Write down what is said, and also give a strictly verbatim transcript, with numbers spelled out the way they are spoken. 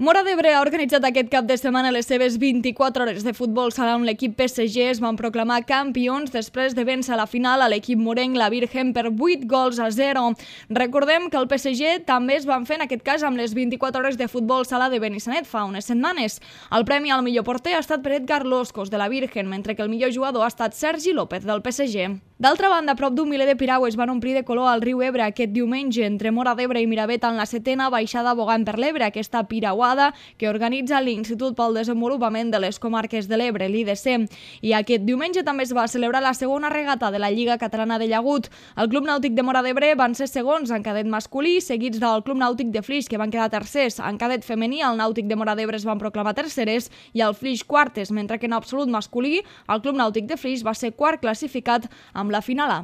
Móra d'Ebre ha organitzat aquest cap de setmana les seves vint-i-quatre hores de futbol sala on l'equip P S G es van proclamar campions després de vèncer a la final a l'equip morenc la Virgen per vuit gols a zero. Recordem que el P S G també es van fer en aquest cas amb les vint-i-quatre hores de futbol sala de Benissanet fa unes setmanes. El premi al millor porter ha estat per Edgar Loscos de la Virgen, mentre que el millor jugador ha estat Sergi López del P S G. D'altra banda, prop d'un miler de piragües van omplir de color al riu Ebre aquest diumenge entre Móra d'Ebre i Miravet en la setena baixada bogant per l'Ebre, aquesta piragüada que organitza l'Institut pel Desenvolupament de les Comarques de l'Ebre, l'I D C. I aquest diumenge també es va celebrar la segona regata de la Lliga Catalana de Llagut. El Club Nàutic de Móra d'Ebre van ser segons en cadet masculí, seguits del Club Nàutic de Flix, que van quedar tercers. En cadet femení, el Nàutic de Móra d'Ebre es van proclamar terceres i el Flix quartes, mentre que en absolut masculí, el Club Nàutic de Flix va ser quart classificat amb la final A.